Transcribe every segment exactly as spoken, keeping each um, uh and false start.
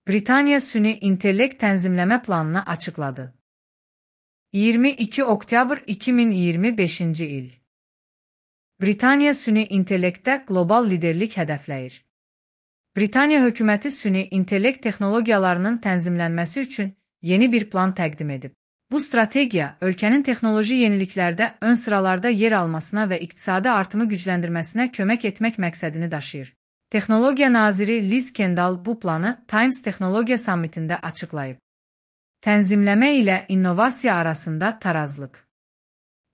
Britaniya Süni İntellekt Tənzimləmə Planını açıqladı. iyirmi iki oktyabr iki min iyirmi beşinci il. Britaniya süni intellektdə qlobal liderlik hədəfləyir. Britaniya hökuməti süni intellekt texnologiyalarının tənzimlənməsi üçün yeni bir plan təqdim edib. Bu strategiya, ölkənin texnoloji yeniliklərdə ön sıralarda yer almasına və iqtisadi artımı gücləndirməsinə kömək etmək məqsədini daşıyır. Texnologiya naziri Liz Kendall bu planı Times Texnologiya Sammitində açıqlayıb. Tənzimləmə ilə innovasiya arasında tarazlıq.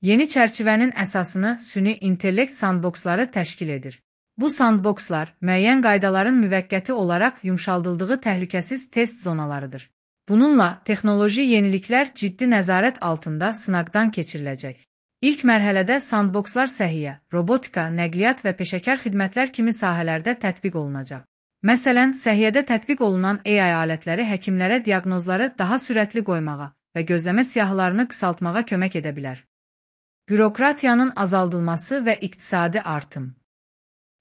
Yeni çərçivənin əsasını süni intellekt sandboksları təşkil edir. Bu sandbokslar müəyyən qaydaların müvəqqəti olaraq yumşaldıldığı təhlükəsiz test zonalarıdır. Bununla texnoloji yeniliklər ciddi nəzarət altında sınaqdan keçiriləcək. İlk mərhələdə sandbokslar səhiyyə, robotika, nəqliyyat və peşəkar xidmətlər kimi sahələrdə tətbiq olunacaq. Məsələn, səhiyyədə tətbiq olunan A I alətləri həkimlərə diaqnozları daha sürətli qoymağa və gözləmə siyahılarını qısaltmağa kömək edə bilər. Bürokratiyanın azaldılması və iqtisadi artım.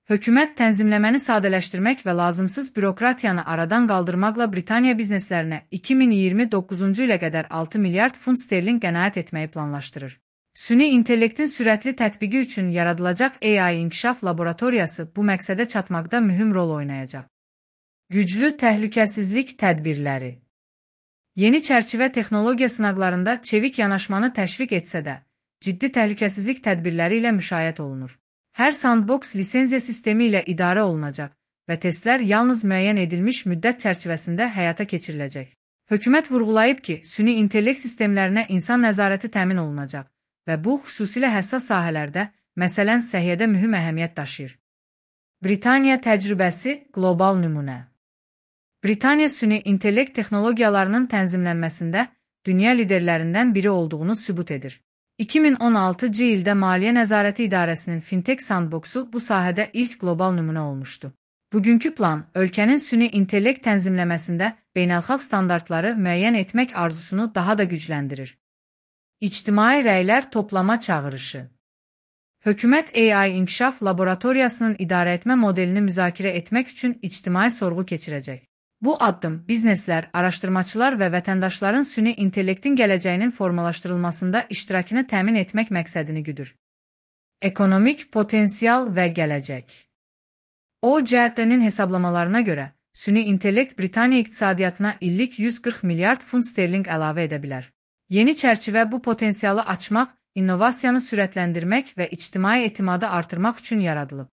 Hökumət tənzimləməni sadələşdirmək və lazımsız bürokratiyanı aradan qaldırmaqla Britaniya bizneslərinə iki min iyirmi doqquzuncu ilə qədər altı milyard funt sterling qənaət etməyi planlaşdırır. Süni intellektin sürətli tətbiqi üçün yaradılacaq A I inkişaf laboratoriyası bu məqsədə çatmaqda mühüm rol oynayacaq. Güclü təhlükəsizlik tədbirləri. Yeni çərçivə texnologiya sınaqlarında çevik yanaşmanı təşviq etsə də, ciddi təhlükəsizlik tədbirləri ilə müşayiət olunur. Hər sandboks lisenziya sistemi ilə idarə olunacaq və testlər yalnız müəyyən edilmiş müddət çərçivəsində həyata keçiriləcək. Hökumət vurğulayıb ki, süni intellekt sistemlərinə insan nəzarəti təmin olunacaq və bu, xüsusilə həssas sahələrdə, məsələn, səhiyyədə mühüm əhəmiyyət daşıyır. Britaniya təcrübəsi qlobal nümunə. Britaniya süni intellekt texnologiyalarının tənzimlənməsində dünya liderlərindən biri olduğunu sübut edir. iki min on altıncı ildə Maliyyə Nəzarəti İdarəsinin Fintech Sandboxu bu sahədə ilk qlobal nümunə olmuşdu. Bugünkü plan, ölkənin süni intellekt tənzimləməsində beynəlxalq standartları müəyyən etmək arzusunu daha da gücləndirir. İctimai rəylər toplama çağırışı. Hökumət A I inkişaf laboratoriyasının idarəetmə modelini müzakirə etmək üçün ictimai sorğu keçirəcək. Bu addım bizneslər, araşdırmaçılar və vətəndaşların süni intellektin gələcəyinin formalaşdırılmasında iştirakını təmin etmək məqsədini güdür. Ekonomik potensial və gələcək. O C E T-nin hesablamalarına görə, süni intellekt Britaniya iqtisadiyyatına illik yüz qırx milyard funt sterling əlavə edə bilər. Yeni çərçivə bu potensialı açmaq, innovasiyanı sürətləndirmək və ictimai etimadı artırmaq üçün yaradılıb.